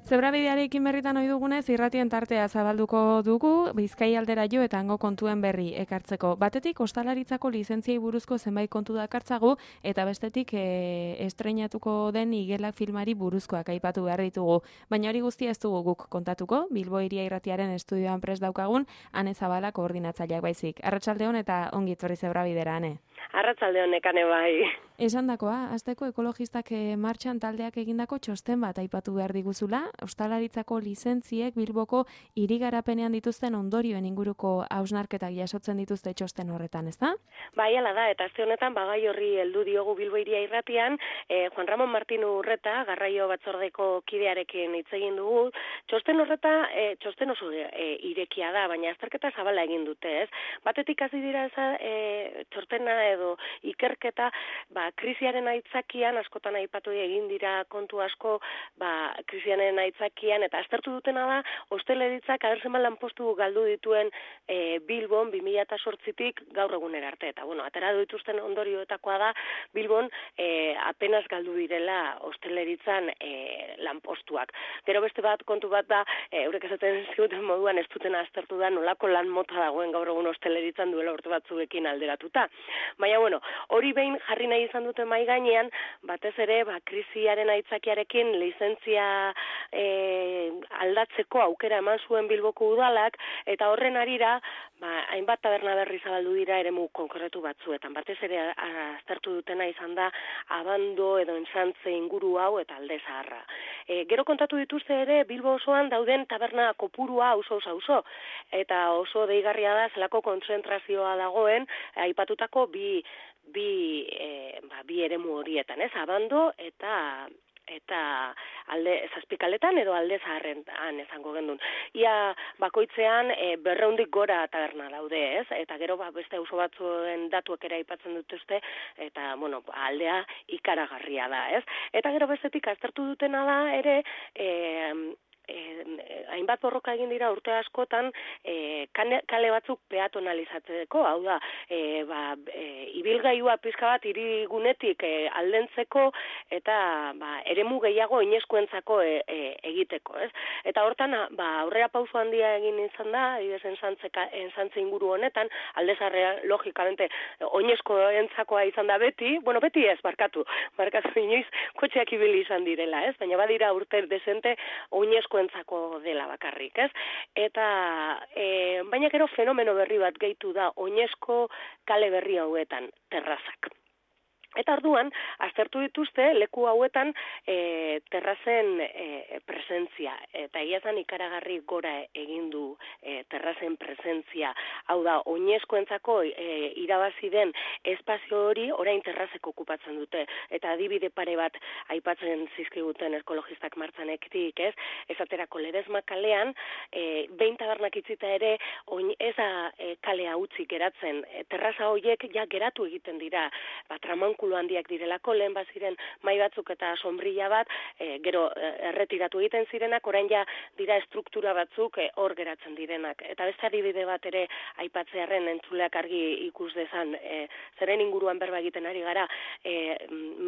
Zebrabidearekin berritan ohi dugunez, irratien tartea zabalduko dugu, Bizkai aldera jo eta hango kontuen berri ekartzeko. Batetik, ostalaritzako lizentziei buruzko zenbait kontu dakartzagu, eta bestetik estreinatuko den igelak filmari buruzkoak aipatu behar ditugu. Baina hori guztia ez dugu guk kontatuko, Bilbo Hiria Irratiaren estudioan prest daukagun, Ane Zabala koordinatzaileak baizik. Arratsaldeon eta ongi etorri Zebrabidera, Ane. Arratsaldeon nekane bai. Esandakoa, hasteko ekologistak martxan taldeak egindako txosten bat aipatu behar diguzula, ostalaritzako lizentziek Bilboko hirigarapenean dituzten ondorioen inguruko hausnarketak jasotzen dituzte txosten horretan, ezta? Bai, hala da, eta aste honetan bagai horri heldu diogu Bilbo Hiria Irratian, Juan Ramon Martin Urreta, garraio batzordeko kidearekin hitz egin dugu. Txosten horreta, txosten oso irekia da, baina azterketa zabala egin dute, ez? Batetik hasi dira txostena edo ikerketa, krisiaren aitzakian, askotan aipatu egin dira kontu asko, krisiaren aitzakian, eta aztertu dutena da, ostalaritzak abertzen lanpostu galdu dituen Bilbon 2008tik gaur egunera arte. Eta, atera dituzten ondorioetakoa da, Bilbon apenas galdu direla ostalaritzan lanpostuak. Gero beste bat, kontu bat da, eurek esaten ziguten moduan ez duten aztertu da, nolako lan mota dagoen gaur egun ostalaritzan duela urte batzuekin alderatuta. Baina, hori behin jarri nahi izan dute mai gainean, batez ere, krisiaren aitzakiarekin lizentzia aldatzeko aukera eman zuen Bilboko udalak, eta horren arira, hainbat taberna berri zabaldu dira eremu konkretu batzuetan. Batez ere aztertu dutena izan da Abando edo Ensantze inguru hau eta Alde Zaharra. Gero kontatu dituzte ere Bilbo osoan dauden taberna kopurua auzo, eta oso deigarria da zelako kontzentrazioa dagoen aipatutako bi eremu horietan, ez? Abando eta alde zazpikaletan edo Alde Zaharren esango gendun. Ia bakoitzean 200 gora taberna daude, ez? Eta gero beste auzo batzuen datuak ere aipatzen dituzte, eta aldea ikaragarria da, ez? Eta gero bestetik aztertu dutena da ere hainbat borroka egin dira urte askotan kale batzuk peatonalizatzeko, hau da, ibilgailua pizka bat hirigunetik aldentzeko eta eremu gehiago oinezkoentzako egiteko, ez? Eta hortan, aurrera pauso handia egin izan da, adibidez Ensantze inguru honetan, Alde Zaharra logikamente oinezkoentzakoa izan da beti, beti ez, barkatu inoiz kotxeak ibili izan direla, ez? Baina badira urte desente oinezkoentzako dela bakarrik, ez? Eta, baina gero fenomeno berri bat gehitu da oinezko kale berri hauetan, terrazak. Eta orduan, aztertu dituzte leku hauetan terrazen presentzia. Eta egiazan ikaragarri gora egin du terrazen presentzia. Hau da, oinezkoentzako irabazi den espazio hori orain terrazek okupatzen dute. Eta adibide pare bat aipatzen zizkiguten ekologistak martzanetik, ez? Esaterako Ledesma kalean, behin tabernak itzita ere, ez da kalea utzik geratzen. Terraza horiek ja geratu egiten dira, tramankulu handiak direlako, lehen baziren mai batzuk eta sombrilla bat, gero erretiratu egiten zirenak, orain ja dira estruktura batzuk hor geratzen direnak. Eta beste adibide bat ere aipatzearren entzuleak argi ikus dezan, zeren inguruan berba egiten ari gara,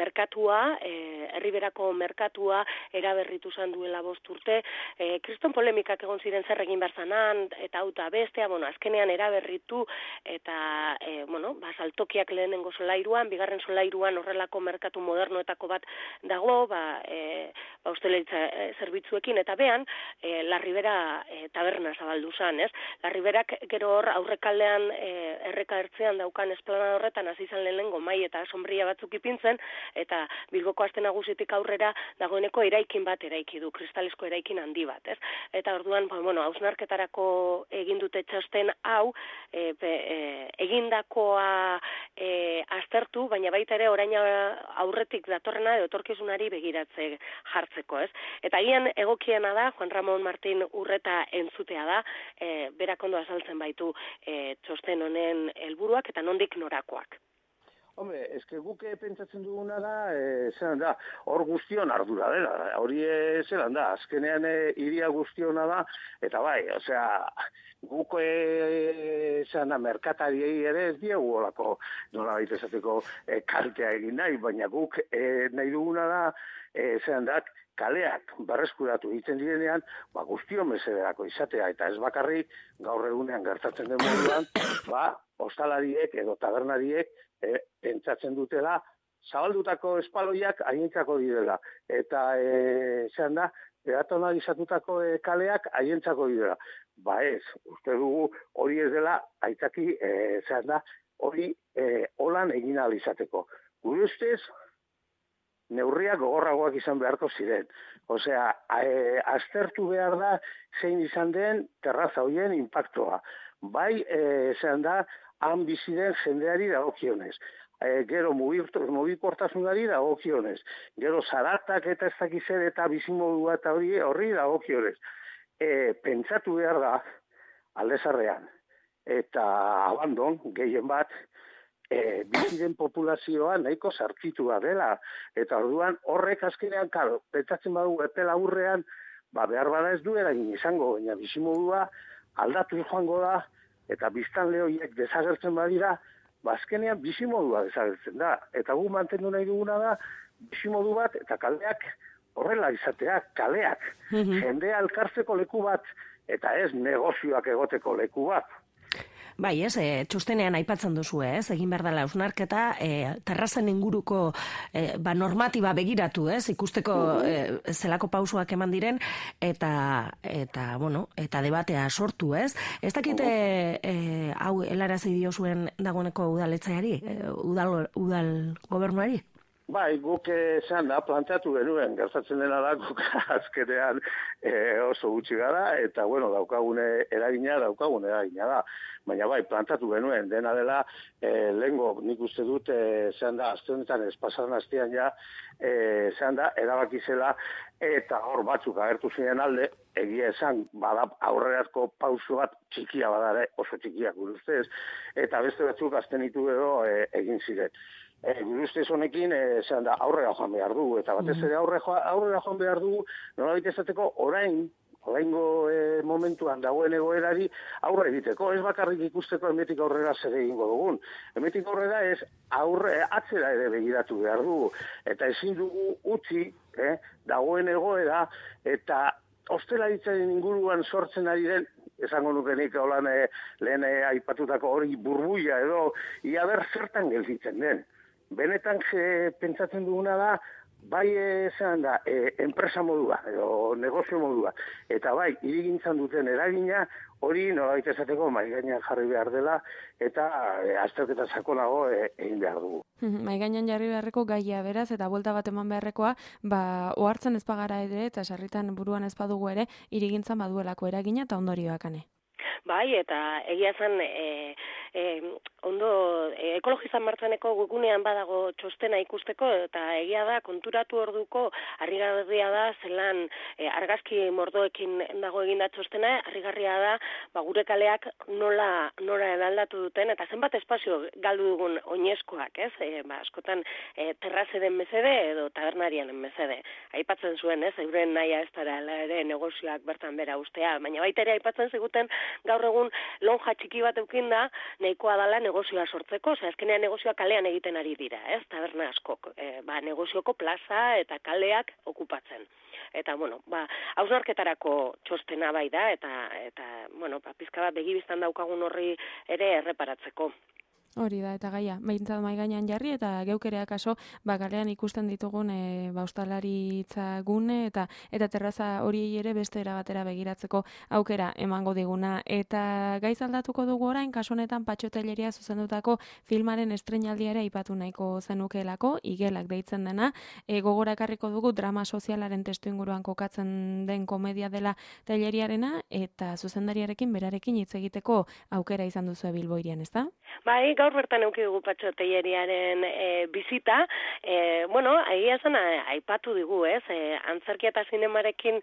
merkatua, Herriberako merkatua eraberritu zan duela 5 urte, kriston polemikak egon ziren zer egin berzanan, eta hau eta bestea, azkenean eraberritu, eta, saltokiak lehenengo solairuan, bigarren solairuan horrelako merkatu modernoetako bat dago, ostalaritza zerbitzuekin, eta behan, La Ribera taberna zabaldu zan, ez? La Riberak gero hor aurrekaldean erreka ertzean daukan esplanada horretan hasi izan lehenengo mai eta sombria batzuk ipintzen, eta Bilboko Aste Nagusitik aurrera dagoeneko eraikin bat eraiki du, kristalesko eraikin handi bat, ez? Eta orduan, hausnarketarako egin dute txosten hau, egindakoa aztertu, baina baita ere orain aurretik datorrena edo etorkizunari begiratze jartzeko, ez? Eta agian egokiena da, Juan Ramon Martin Urreta entzutea da, berak ondo azaltzen baitu txosten honen helburuak eta nondik norakoak. Hombre, eske guk pentsatzen duguna da, zelan da, hor guztion ardura dela, hori zelan da, azkenean hiria guztiona da, eta bai, osea, guk zelan da, merkatariei ere ez diegu olako, nola baita esateko kaltea egin nahi, baina guk nahi duguna da, zelan da, kaleak berreskuratu egiten direnean, guztion mesederako izatea, eta ez bakarrik gaur egunean gertatzen den moduan, ostalariek edo tabernariek pentsatzen dutela, zabaldutako espaloiak haientzako direla, eta zean da, peatonalizatutako kaleak haientzako direla. Ez, uste dugu hori ez dela, aitzaki, zean da, hori holan egin ahal izateko. Gure ustez, neurriak gogorragoak izan beharko ziren. Osea, aztertu behar da zein izan den terraza horien inpaktoa. Bai, zean da, han bizi den jendeari dagokionez. Gero mugikortasunari dagokionez. Gero zaratak eta ez dakizer eta bizimodua eta horri dagokionez. Pentsatu behar da, aldezarrean, eta abandon, gehien bat, bizi den populazioa nahiko zarkitua dela. Eta orduan horrek azkenean, karo, pentsatzen badu epe laburrean, behar bada ez duela izango, baina bizimodua aldatu joango da, eta biztanle horiek desagertzen badira, azkenean bizimodua desagertzen da. Eta gu mantendu nahi duguna da, bizimodu bat eta kaleak horrela izatea, kaleak. Jendea elkartzeko leku bat, eta ez negozioak egoteko leku bat. Bai, ez, txostenean aipatzen duzu, ez, egin behar dela hausnarketa, terrazen inguruko normatiba begiratu, ez, ikusteko zelako pausoak eman diren, eta debatea sortu, ez. Ez dakite, hau, helarazi diozuen dagoeneko udaletzeari, udal gobernuari? Bai, guk esan da, planteatu genuen, gertatzen dena da, guk azkenean oso gutxi gara, eta, daukagune eragina da. Baina bai, plantatu genuen, dena dela, lehengo nik uste dut, zehan da, azte honetan ez pasaran astean ja, zehan da, erabakizela, eta hor batzuk agertu ziren alde, egia esan, bada aurreratko pauso bat txikia badare, oso txikiak gure ustez, eta beste batzuk azten ditu edo egin ziren. Gure ustez honekin, zehan da, aurrera joan behar dugu, eta batez ere aurrera joan behar dugu, nolabait esateko oraingo momentuan dagoen egoerari aurre egiteko, ez bakarrik ikusteko hemetik aurrera zer egingo dugun. Hemetik aurrera ez atzera ere begiratu behar dugu, eta ezin dugu utzi dagoen egoera, eta ostelaritzaren inguruan sortzen ari den, esango nukenik holan lehen aipatutako hori burbuia edo, ia ber zertan gelditzen den. Benetan pentsatzen duguna da, bai esan da, enpresa modua, edo negozio modua, eta bai, hirigintzan duten eragina, hori nolabait esateko maigainan jarri behar dela, eta azterketa sakonago egin behar dugu. Maigainan jarri beharreko gaia beraz, eta buelta bat eman beharrekoa, ohartzen ez bagara ere, eta sarritan buruan ez badugu ere, hirigintzan baduelako eragina eta ondorioak ane. Bai, eta egia zen, ekologizan martzeneko gugunean badago txostena ikusteko, eta egia da, konturatu orduko, harrigarria da, zelan argazki mordoekin dago eginda txostena, harrigarria da, gure kaleak nola eraldatu duten, eta zenbat espazio galdu dugun oinezkoak, ez? Askotan terrazeren mesede edo tabernarien mesede. Aipatzen zuen, ez? Euren nahia ez dara ere negozioak bertan bera ustea, baina baita ere aipatzen ziguten gaur egun lonja txiki bat eukinda, nahikoa dala negozioa sortzeko, azkenean negozioa kalean egiten ari dira, ez? Taberna askok, negozioko plaza eta kaleak okupatzen. Eta, hausnarketarako txostena bai da, eta pizka bat begibiztan daukagun horri ere erreparatzeko. Hori da, eta gaia, behintzat mai gainean jarri, eta geukerea kaso, kalean ikusten ditugun ostalaritza gune, eta terraza hori ere beste erabatera begiratzeko aukera emango diguna. Eta gaiz aldatuko dugu orain, kaso honetan Patxotelleria zuzendutako filmaren estreinaldia ere aipatu nahiko zenukeelako, igelak deitzen dena, gogora ekarriko dugu drama sozialaren testuinguruan kokatzen den komedia dela Telleriarena, eta zuzendariarekin berarekin hitz egiteko aukera izan duzu Bilbo hirian, ezta? Bai, gaur bertan euki dugu Patxo Telleriaren bizita, bueno, egia esan aipatu digu, ez? Antzerkia eta zinemarekin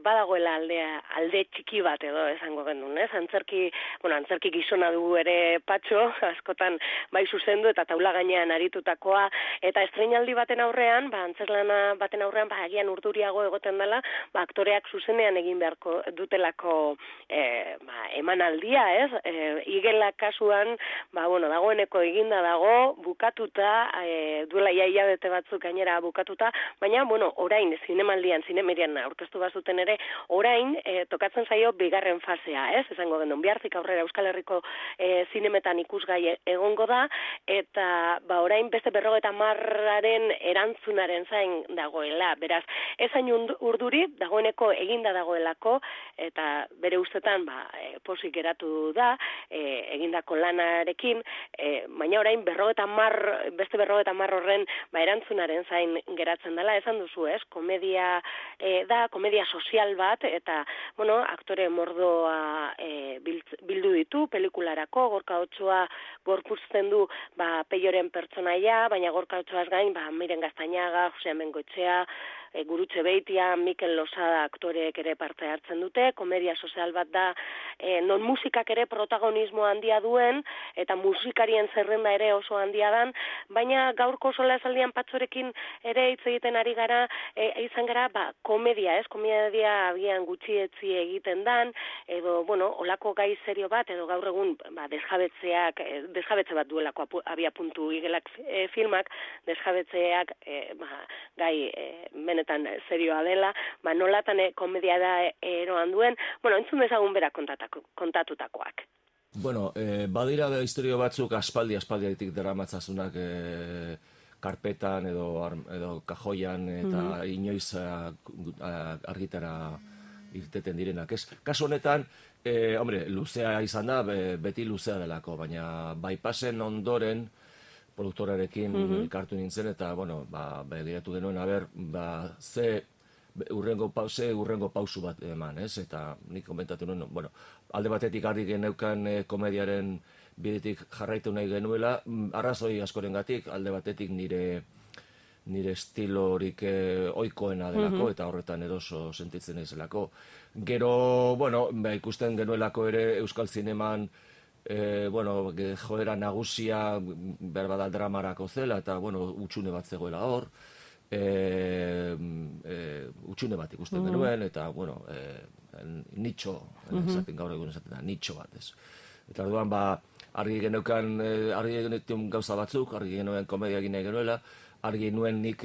badagoela alde txiki bat edo esango genuen, ez? Antzerki gizona dugu ere Patxo, askotan bai zuzendu eta taula gainean aritutakoa, eta estreinaldi baten aurrean, antzerlana baten aurrean, agian urduriago egoten dela, aktoreak zuzenean egin beharko dutelako emanaldia, ez? Igela kasuan, dagoeneko eginda dago, bukatuta, duela hilabete batzuk gainera bukatuta, baina, orain, zinemerian aurkeztu bazuten ere, orain, tokatzen zaio bigarren fasea, ez? Esango genuen, bihartik aurrera Euskal Herriko zinemetan ikusgai egongo da, eta orain beste 50aren erantzunaren zain dagoela, beraz, ezain urduri, dagoeneko eginda dagoelako, eta bere ustetan, posik geratu da, egindako lanarekin, baina orain beste 50 horren erantzunaren zain geratzen dela, esan duzu, ez? Komedia da, komedia sozial bat, eta, aktore mordoa bildu ditu, pelikularako, Gorka Otsoa gorpuzten du, Peioren pertsonaia, baina Gorka Otsoaz gain, Miren Gaztañaga, Jose Amengoetxea, Gurutxe Beitia, Mikel Losada aktoreek ere parte hartzen dute, komedia sozial bat da, non musikak ere protagonismo handia duen, eta musikarien zerrenda ere oso handia dan, baina gaurko sola esaldian Patxorekin ere hitz egiten ari gara, izan gara, komedia, ez? Komedia agian gutxietzi egiten dan, edo, olako gai serio bat, edo gaur egun, desjabetze bat duelako abia puntu Igelak filmak, desjabetzeak, gai benetan serioa dela, nolatan komedia da eroan duen, entzun dezagun bera kontatutakoak. Badira historio batzuk aspaldiatik daramatzazunak karpetan edo kajoian eta inoiz argitara irteten direnak, ez? Kasu honetan, luzea izan da, beti luzea delako, baina bypassen ondoren produktorarekin kartu nintzen, eta, begiratu genuen, ze urrengo pausu bat eman, ez? Eta nik komentatu nuen, alde batetik argi geneukan komediaren bidetik jarraitu nahi genuela, arrazoi askorengatik, alde batetik nire estilorik ohikoena delako, eta horretan eroso sentitzen naizelako. Gero, ikusten genuelako ere Euskal Zineman, joera nagusia berbada dramarako zela, eta, utxune bat zegoela hor, utxune bat ikusten genuen, eta, nitxo, gaur egun esaten da, nitxo bat, ez. Eta orduan, argi genuen gauza batzuk, argi genuen komedia egin nahi genuela, argi nuen nik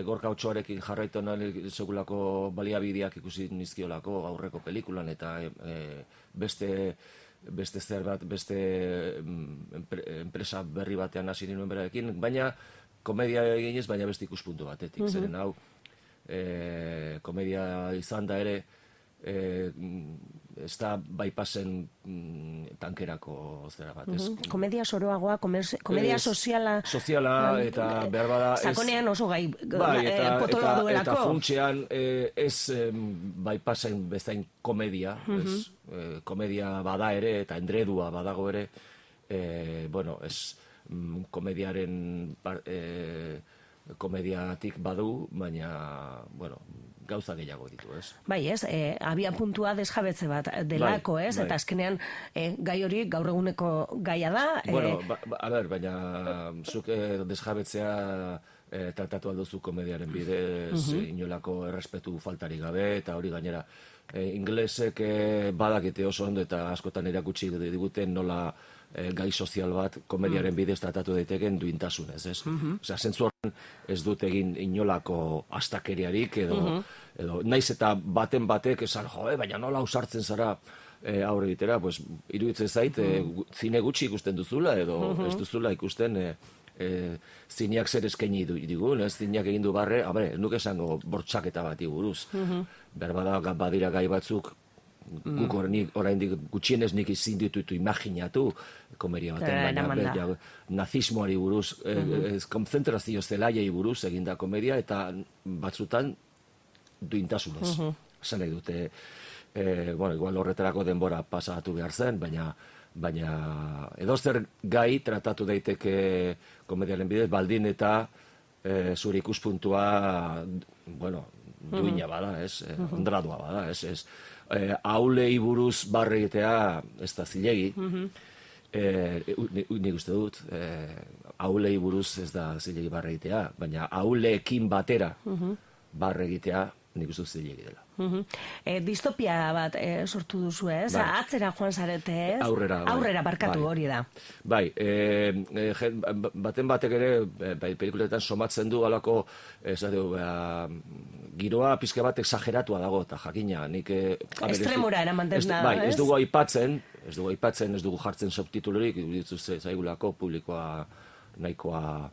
Gorka Otsoarekin jarraitu nahi segulako baliabideak ikusi nizkiolako aurreko pelikulan, eta beste zer bat, beste enpresa berri batean hasi nuen berarekin, baina komedia eginez, baina beste ikuspuntu batetik, zeren hau, komedia izan da ere, ez da bypassen tankerako zera bat, ez? Komedia soroagoa, komedia soziala... Soziala, eta behar bada... Sakonean oso gai potola duelako. Eta funtsean ez bypassen bezain komedia, komedia bada ere, eta endredua badago ere, ez komediaren komediatik badu, baina, gauza gehiago ditu, ez? Bai, ez, abia puntua desjabetze bat delako, ez? Eta azkenean gai hori gaur eguneko gaia da. Baina zuk desjabetzea tratatu alduzu komediaren bidez, inolako errespetu faltari gabe, eta hori gainera inglesek badakite oso ondo eta askotan erakutsi diguten nola gai sozial bat komediaren bidez tratatu daiteken duintasunez, ez? Osea, zentzu horren ez dut egin inolako astakeriarik edo naiz eta baten batek esan, baina nola ausartzen zara aurre egitera, iruditzen zait, zine gutxi ikusten duzula edo ez duzula ikusten zineak zer eskaini digun, ez zineak egin du barre, nuke esango bortxaketa bati buruz. Berbada badira gai batzuk, guk oraindik gutxienez nik ezin ditutu imaginatu komedia baten, baina nazismoari buruz, konzentrazio zelaiei buruz eginda komedia, eta batzutan duintasunez. Esan nahi dute, igual horretarako denbora pasatu behar zen, baina baina edozer gai tratatu daiteke komediaren bidez, baldin eta zure ikuspuntua, bueno, duina bada, ez? Ondradua bada, ez? Aulei buruz barre egitea ez da zilegi. Nik uste dut, aulei buruz ez da zilegi barre egitea, baina auleekin batera barre egitea nik uste dut zilegi dela. Distopia bat sortu duzu, ez? Atzera joan zarete, ez? Aurrera barkatu hori da. Bai, baten batek ere, pelikuletan somatzen du alako, giroa pizke bat exageratua dago, eta jakina, nik... Estremora eramaten da, bai, ez dugu aipatzen, ez dugu jartzen subtitulurik, dituz zaigulako publikoa nahikoa,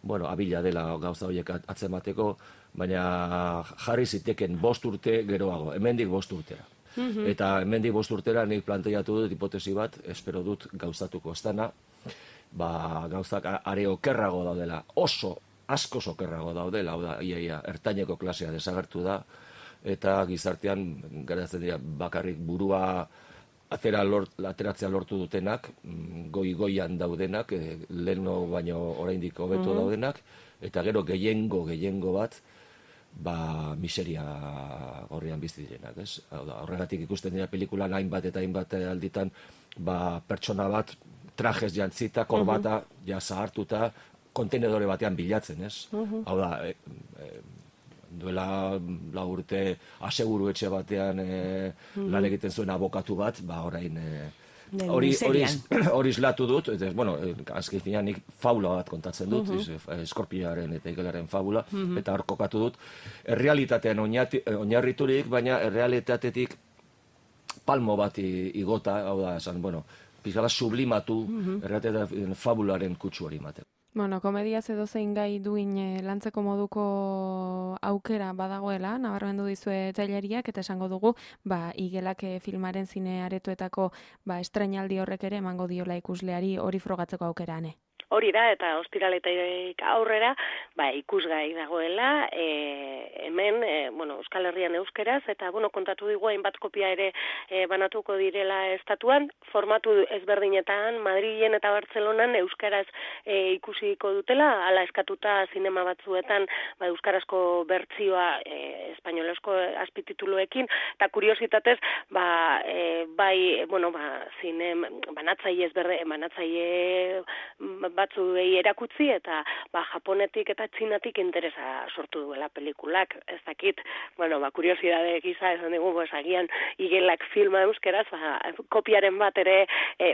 bueno, abila dela gauza horiek atzemateko, baina jarri ziteken 5 urte geroago, hemendik 5 urtera. Eta hemendik 5 urtera nik planteatu dut hipotesi bat, espero dut gauzatuko ez dana, gauzak are okerrago daudela, asko okerrago daudela, hau da, iaia, ertaineko klasea desagertu da, eta gizartean geratzen dira bakarrik burua ateratzea lortu dutenak, goian daudenak, leheno baino oraindik hobeto daudenak, eta gero gehiengo bat, miseria gorrian bizi direnak, ez? Horregatik ikusten dira pelikulan hainbat alditan, pertsona bat trajes jantzita, korbata, ja zahartuta, kontenedore batean bilatzen, ez? Hau da, duela 4 urte aseguru etxe batean lan egiten zuen abokatu bat, orain hori islatu dut, bueno, azken finean nik fabula bat kontatzen dut, Eskorpioaren eta Igelaren fabula, eta hor kokatu dut, errealitatean oinarriturik, baina errealitatetik palmo bat igota, hau da, esan, bueno, pizkala sublimatu errealitatean fabularen kutsu hori ematen. Bueno, komediaz edozein gai duin lantzeko moduko aukera badagoela, nabarmendu dizue Teileriak, eta esango dugu, Igelak filmaren zine aretoetako estrainaldi horrek ere emango diola ikusleari hori frogatzeko aukerane. Hori da, eta ostiraletik aurrera, ikusgai dagoela, hemen, Euskal Herrian euskeraz, eta, kontatu digu hainbat kopia ere banatuko direla estatuan, formatu ezberdinetan, Madrilen eta Bartzelonan euskaraz ikusiko dutela, hala eskatuta zinema batzuetan, euskarazko bertsioa espainolezko azpitituluekin, eta kuriositatez, banatzaile batzuei erakutzi eta Japonetik eta Txinatik interesa sortu duela pelikulak, ez dakit, kuriosidade gisa esan dugu, agian Igelak filma euskeraz, kopiaren bat ere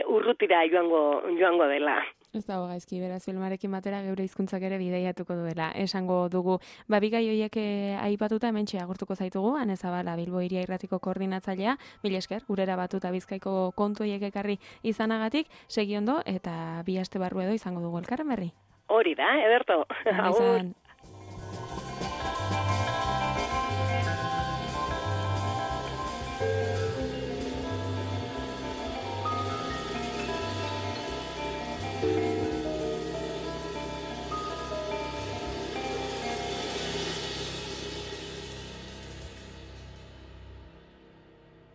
urrutira joango dela. Ez dago gaizki, beraz filmarekin batera geure hizkuntzak ere bideiatuko duela. Esango dugu, bigai horiek aipatuta hementxe agurtuko zaitugu, Ane Zabala, Bilbo Hiria Irratiko koordinatzailea, mila esker, gurera batuta Bizkaiko kontu horiek ekarri izanagatik, segi ondo, eta 2 aste barru edo izango dugu elkarren berri. Hori da, ederto. Agur.